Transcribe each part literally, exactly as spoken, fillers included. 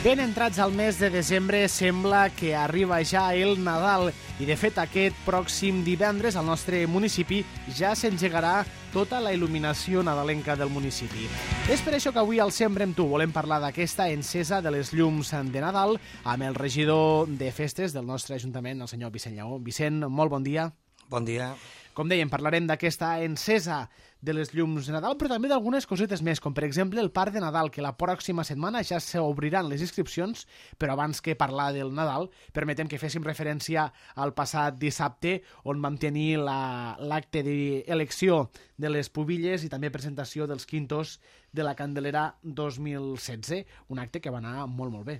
Ben entrats al mes de desembre, sembla que arriba ja el Nadal i, de fet, aquest pròxim divendres al nostre municipi ja s'engegarà tota la il·luminació nadalenca del municipi. És per això que avui al Sempre amb tu volem parlar d'aquesta encesa de les llums de Nadal amb el regidor de festes del nostre ajuntament, el senyor Vicent Lleó. Vicent, molt bon dia. Bon dia. Com dèiem, parlarem d'aquesta encesa de les llums de Nadal, però també d'algunes cosetes més, com per exemple el Parc de Nadal, que la pròxima setmana ja s'obriran les inscripcions, però abans que parlar del Nadal, permetem que féssim referència al passat dissabte, on vam tenir l'acte d'elecció de les pubilles i també presentació dels quintos de la Candelera dos mil setze, un acte que va anar molt, molt bé.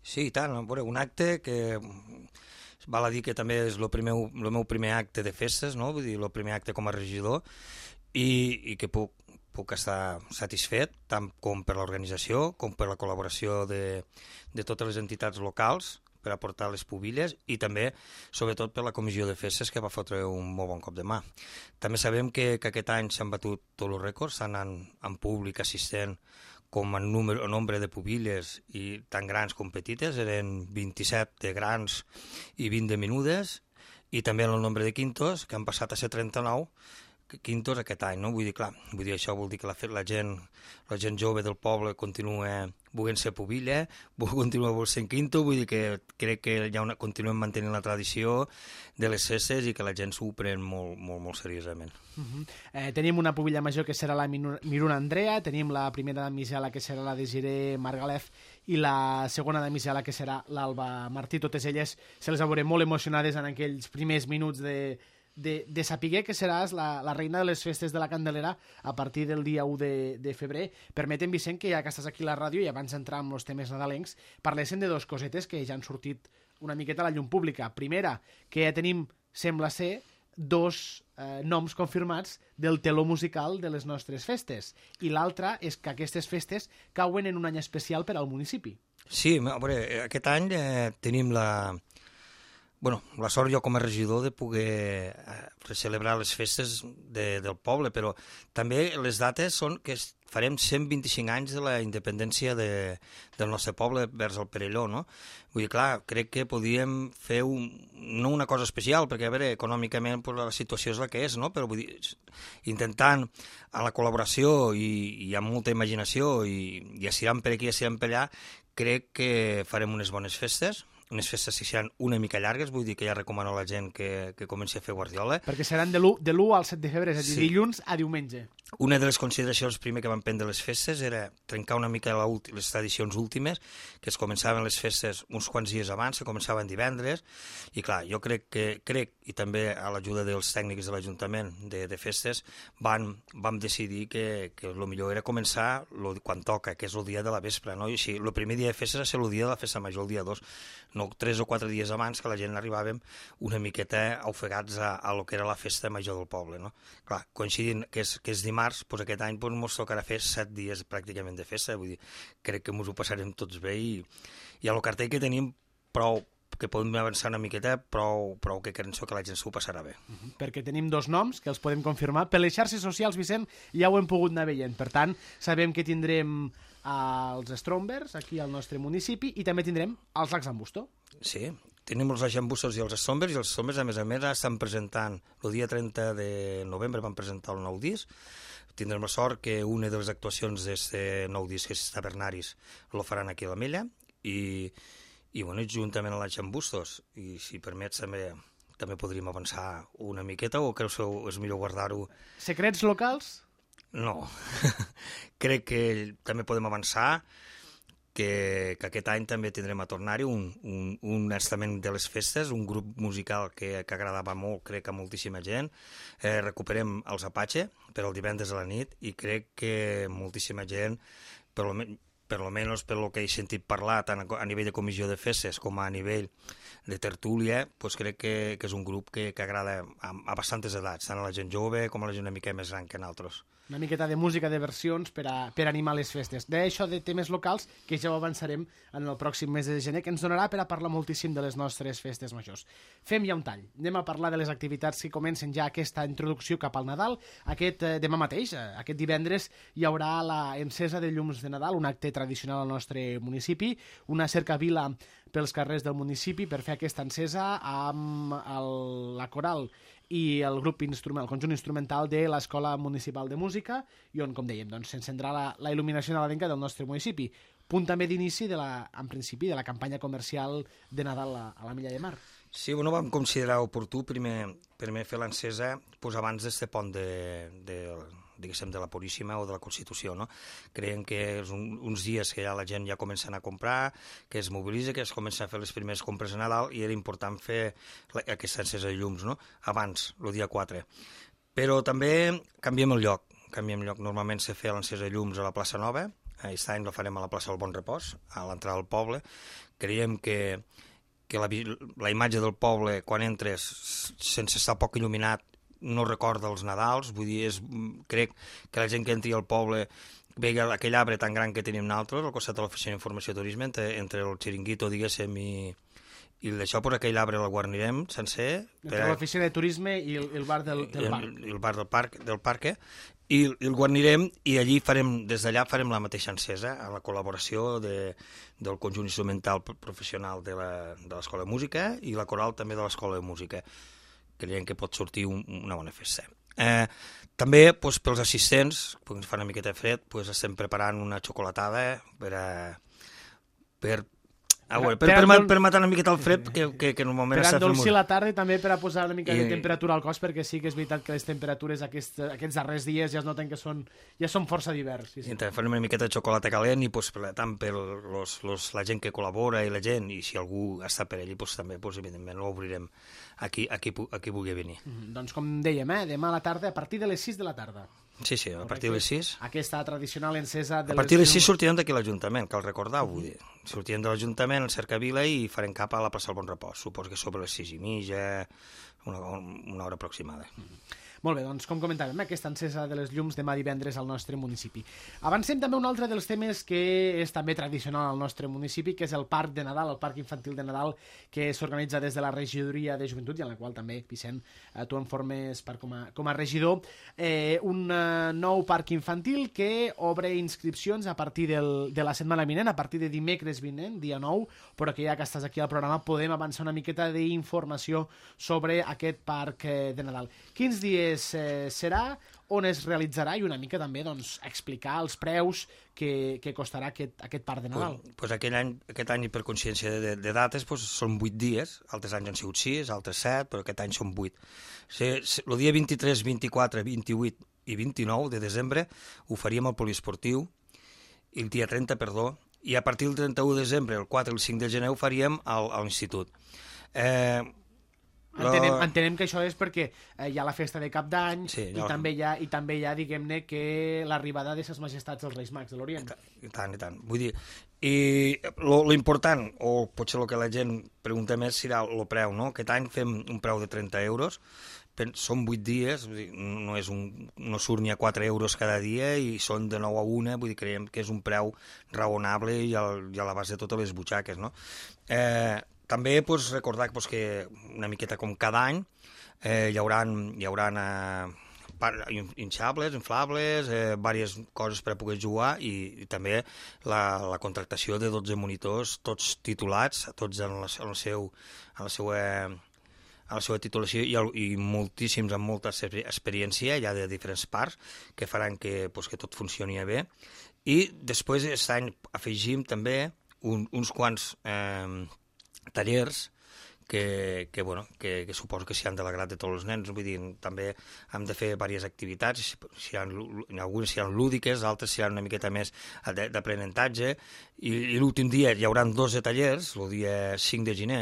Sí, i tant, un acte que val a dir que també és el meu, el meu primer acte de festes, no? Vull dir, el primer acte com a regidor, i, i que puc, puc estar satisfet, tant com per l'organització, com per la col·laboració de, de totes les entitats locals per aportar les pubilles i també, sobretot, per la comissió de festes, que va fotre un molt bon cop de mà. També sabem que, que aquest any s'han batut tots els rècords, s'han anat en públic assistent com en número, en nombre de pubilles, i tan grans com petites, eren vint-i-set de grans i vint de menudes, i també en el nombre de quintos, que han passat a ser trenta-nou quintos aquest any, no? Vull dir, clar, vull dir, això vol dir que la, la gent, la gent jove del poble continua volent ser pubilla, continua volent ser quinto, vull dir que crec que ja una, continuem mantenint la tradició de les festes i que la gent s'ho pren molt, molt, molt seriosament. Uh -huh. eh, tenim una pubilla major que serà la Miruna Andrea, tenim la primera damisela que serà la Desiree Margalef i la segona damisela que serà l'Alba Martí. Totes elles se les veurem molt emocionades en aquells primers minuts de de, de saber que seràs la, la reina de les festes de la Candelera a partir del dia u de, de febrer. Permetem, Vicent, que ja que estàs aquí a la ràdio i abans d'entrar en els temes nadalencs, parléssim de dos cosetes que ja han sortit una miqueta a la llum pública. Primera, que ja tenim, sembla ser, dos eh, noms confirmats del teló musical de les nostres festes. I l'altra és que aquestes festes cauen en un any especial per al municipi. Sí, a veure, aquest any eh, tenim la... Bueno, la sort jo com a regidor de poder eh, celebrar les festes de, del poble, però també les dates són que farem cent vint-i-cinc anys de la independència de, del nostre poble vers el Perelló, no? Vull dir, clar, crec que podíem fer un, no una cosa especial, perquè, a veure, econòmicament pues, la situació és la que és, no? Però vull dir, intentant a la col·laboració i, i amb molta imaginació i, i assirant per aquí i assirant per allà, crec que farem unes bones festes, unes festes que seran una mica llargues, vull dir que ja recomano a la gent que, que comenci a fer guardiola. Perquè seran de l'u al set de febrer, és a dir, sí. Dilluns a diumenge. Una de les consideracions primer que van prendre les festes era trencar una mica la les tradicions últimes, que es començaven les festes uns quants dies abans, que començaven divendres, i clar, jo crec que, crec, i també a l'ajuda dels tècnics de l'Ajuntament de, de festes, van, vam decidir que, que el millor era començar lo, quan toca, que és el dia de la vespre, no? I així, el primer dia de festes va ser el dia de la festa major, el dia dos, no tres o quatre dies abans, que la gent arribàvem una miqueta ofegats a, a lo que era la festa major del poble, no? Clar, coincidint que és, que és dimarts, doncs aquest any doncs, ens tocarà fer set dies pràcticament de festa, vull dir, crec que ens ho passarem tots bé i, i a lo cartell que tenim prou, que podem avançar una miqueta, prou, prou que penso que la gent s'ho passarà bé. Uh -huh. Perquè tenim dos noms que els podem confirmar. Per les xarxes socials, Vicent, ja ho hem pogut anar veient. Per tant, sabem que tindrem els Strombers aquí al nostre municipi i també tindrem els Lacs d'Ambusto. Sí, tenim els Lacs i els Strombers, i els Strombers, a més a més, estan presentant, el dia trenta de novembre van presentar el nou disc. Tindrem la sort que una de les actuacions d'aquest nou disc, que és Tavernaris, lo faran aquí a l'Ametlla, i, i bueno, juntament a les Llambustos, i si permets també també podríem avançar una miqueta, o creus que és millor guardar-ho? Secrets locals? No. Crec que també podem avançar que, que aquest any també tindrem a tornar-hi un, un, un estament de les festes, un grup musical que, que agradava molt, crec, a moltíssima gent. Eh, recuperem els Apache per al divendres a la nit i crec que moltíssima gent, per lo, per lo menys per lo que he sentit parlar tant a, a nivell de comissió de festes com a nivell de tertúlia, pues crec que, que és un grup que, que agrada a, a bastantes edats, tant a la gent jove com a la gent una mica més gran que nosaltres. Una miqueta de música de versions per, a, per animar les festes. D'això de temes locals, que ja ho avançarem en el pròxim mes de gener, que ens donarà per a parlar moltíssim de les nostres festes majors. Fem ja un tall. Anem a parlar de les activitats que comencen ja aquesta introducció cap al Nadal. Aquest eh, demà mateix, eh, aquest divendres, hi haurà la encesa de llums de Nadal, un acte tradicional al nostre municipi, una cercavila pels carrers del municipi per fer aquesta encesa amb el, la coral i el grup instrumental, el conjunt instrumental de l'Escola Municipal de Música, i on, com dèiem, doncs, s'encendrà la, la il·luminació nadalenca del nostre municipi. Punt també d'inici, de la, en principi, de la campanya comercial de Nadal a, a la Milla de Mar. Sí, bueno, vam considerar oportú primer, primer fer l'encesa pues, abans d'este pont de, de, diguéssim, de la Puríssima o de la Constitució, no? Creiem que és un, uns dies que ja la gent ja comença a comprar, que es mobilitza, que es comença a fer les primeres compres a Nadal, i era important fer la, aquesta encesa de llums, no? Abans, el dia quatre. Però també canviem el lloc, canviem el lloc. Normalment se feia l'encesa de llums a la plaça Nova, aquest any la farem a la plaça del Bon Repòs, a l'entrada del poble. Creiem que, que la, la imatge del poble, quan entres, sense estar poc il·luminat, no recorda els Nadals, vull dir, és, crec que la gent que entri al poble veia aquell arbre tan gran que tenim nosaltres, al costat de l'Oficina d'Informació i Turisme, entre, entre el xiringuito, diguéssim, i, i d'això, per aquell arbre el guarnirem sencer. Entre per... l'Oficina de Turisme i el, el bar del, del parc. El, el bar del parc, del parc, i, i el guarnirem, i allí farem, des d'allà farem la mateixa encesa, a la col·laboració de, del conjunt instrumental professional de l'Escola de Música i la coral també de l'Escola de Música. Creiem que pot sortir un, una bona festa. Eh, també, doncs, pels assistents, perquè ens fa una miqueta de fred, doncs, estem preparant una xocolatada per, a, per, a veure, per, per, per, per matar una miqueta el fred, que, que, que normalment... Per endolcir la tarda i també per a posar una mica I... de temperatura al cos, perquè sí que és veritat que les temperatures aquests, aquests darrers dies ja es noten que són, ja són força divers. Sí, sí. I farem una miqueta de xocolata calent i doncs, tant per los, los, la gent que col·labora i la gent, i si algú està per allí, doncs, també, doncs, evidentment, l'obrirem a qui, a qui, a qui vulgui venir. Mm, doncs com dèiem, eh, demà a la tarda, a partir de les sis de la tarda. Sí, sí, a partir de les sis. Aquesta tradicional encesa... De a partir de les sis sortirem d'aquí l'Ajuntament, cal recordar, vull dir. Sortirem de l'Ajuntament, al Cercavila, i farem cap a la plaça del Bon Repòs. Suposo que sobre les sis i mitja, una, una hora aproximada. Mm. Molt bé, doncs com comentàvem, aquesta encesa de les llums demà divendres al nostre municipi. Avancem també un altre dels temes que és també tradicional al nostre municipi, que és el Parc de Nadal, el Parc Infantil de Nadal, que s'organitza des de la Regidoria de Joventut, i en la qual també, Vicent, tu en formes part com a, com a regidor. Eh, un uh, nou parc infantil que obre inscripcions a partir del, de la setmana vinent, a partir de dimecres vinent, dia nou, però que ja que estàs aquí al programa podem avançar una miqueta d'informació sobre aquest parc eh, de Nadal. Quins dies Eh, serà, on es realitzarà, i una mica també doncs, explicar els preus que, que costarà aquest, aquest parc de Nadal. Pues, pues aquest, any, aquest any, per consciència de, de dates, pues, són vuit dies, altres anys han sigut sis, altres set, però aquest any són vuit. El dia vint-i-tres, vint-i-quatre, vint-i-vuit i vint-i-nou de desembre ho faríem al poliesportiu, i el dia trenta, perdó, i a partir del trenta-u de desembre, el quatre i el cinc de gener, ho faríem al, a l'institut. Eh... Entenem, entenem que això és perquè eh, hi ha la festa de Cap d'Any, sí, i, també hi ha, i també hi ha, diguem-ne, que l'arribada de ses majestats dels Reis Mags de l'Orient. I tant, i tant. Vull dir, i lo, lo important, o potser el que la gent pregunta més, serà el preu, no? Aquest any fem un preu de trenta euros, són vuit dies, vull dir, no, és un, no surt ni a quatre euros cada dia, i són de nou a una, vull dir, creiem que és un preu raonable i, al, i a l'abast de totes les butxaques, no? Eh... També pues, recordar pues, que una miqueta com cada any eh, hi haurà, hi haurà eh, hinxables, inflables, eh, diverses coses per a poder jugar, i, i també la, la contractació de dotze monitors, tots titulats, tots en la, en el seu, en la seva, en la seva titulació, i, i moltíssims amb molta experiència ja de diferents parts que faran que, pues, que tot funcioni bé. I després aquest any afegim també un, uns quants eh, tallers que, que, bueno, que, que suposo que s'hi han de l'agrat de tots els nens. Vull dir, també hem de fer diverses activitats, si hi ha, algunes seran lúdiques, altres seran una miqueta més d'aprenentatge, i, i l'últim dia hi haurà dotze tallers, el dia cinc de gener,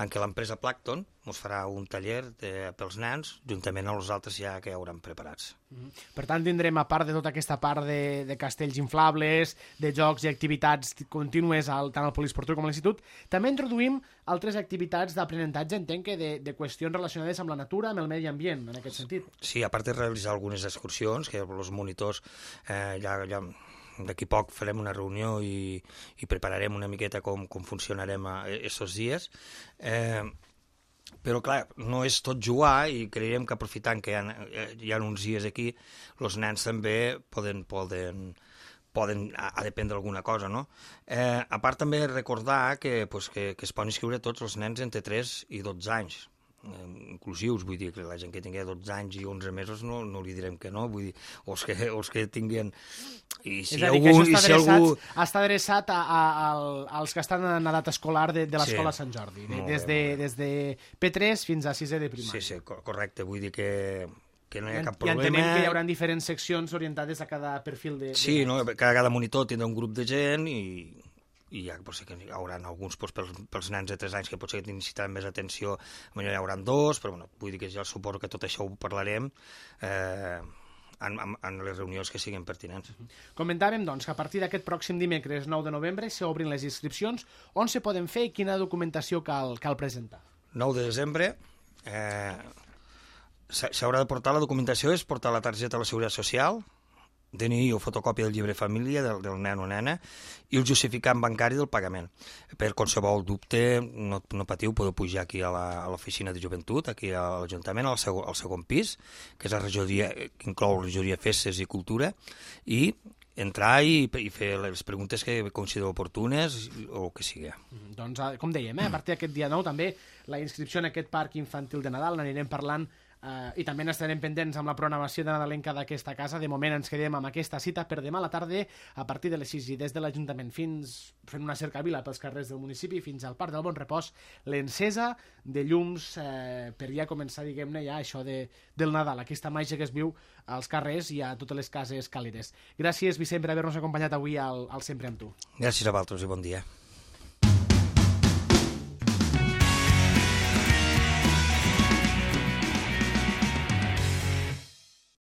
en què l'empresa Plankton, ens farà un taller de, pels nens, juntament amb els altres ja que hauran preparats. Mm. Per tant, tindrem, a part de tota aquesta part de, de castells inflables, de jocs i activitats contínues al, tant al poliesportiu com a l'institut, també introduïm altres activitats d'aprenentatge, entenc que de, de qüestions relacionades amb la natura, amb el medi ambient, en aquest sentit. Sí, a part de realitzar algunes excursions, que els monitors eh, ja... ja d'aquí poc farem una reunió i, i prepararem una miqueta com, com funcionarem aquests dies. Eh, però, clar, no és tot jugar i creiem que aprofitant que hi ha, hi ha uns dies aquí, els nens també poden, poden, poden a, a dependre d'alguna cosa, no? Eh, a part també recordar que, pues, que, que es poden inscriure tots els nens entre tres i dotze anys, inclusius, vull dir que la gent que tingui dotze anys i onze mesos no, no li direm que no, vull dir, o els que, o els que tinguin... I si és a dir, algú, que això està, si adreçat, algú... està adreçat a, a, a, als que estan en edat escolar de, de l'escola Sí, Sant Jordi, de, molt des, bé, de, molt bé. des de P tres fins a sisè de primària. Sí, sí, cor- correcte, vull dir que, que no hi ha cap I problema. entenem que hi haurà diferents seccions orientades a cada perfil de... Sí, de... no? cada, cada monitor tindrà un grup de gent i, i ja potser que hi haurà alguns doncs, pels, pels nens de tres anys que potser necessitaran més atenció, potser hi haurà dos, però bueno, vull dir que ja suposo que tot això ho parlarem eh, en, en, en les reunions que siguin pertinents. Comentàvem, doncs, que a partir d'aquest pròxim dimecres nou de novembre s'obrin les inscripcions. On se poden fer i quina documentació cal, cal presentar? nou de desembre eh, s'haurà de portar la documentació, és portar la targeta de la Seguretat Social, D N I o fotocòpia del llibre de família del, del nen o nena i el justificant bancari del pagament. Per qualsevol dubte, no, no patiu, podeu pujar aquí a la- a l'oficina de joventut, aquí a l'Ajuntament, al, segon, al segon pis, que és la regidoria, que inclou la regidoria Festes i Cultura, i entrar i, i fer les preguntes que considereu oportunes o que sigui. Mm, Doncs, eh, com dèiem, eh, a partir d'aquest dia nou també la inscripció en aquest parc infantil de Nadal n'anirem parlant eh, i també n'estarem pendents amb la programació de nadalenca d'aquesta casa. De moment ens quedem amb aquesta cita per demà a la tarda a partir de les sis i des de l'Ajuntament fins fent una cercavila pels carrers del municipi fins al Parc del Bon Repòs, l'encesa de llums eh, per ja començar, diguem-ne, ja això de, del Nadal, aquesta màgia que es viu als carrers i a totes les cases càlides. Gràcies, Vicent, per haver-nos acompanyat avui al, al Sempre amb tu. Gràcies a vosaltres i bon dia.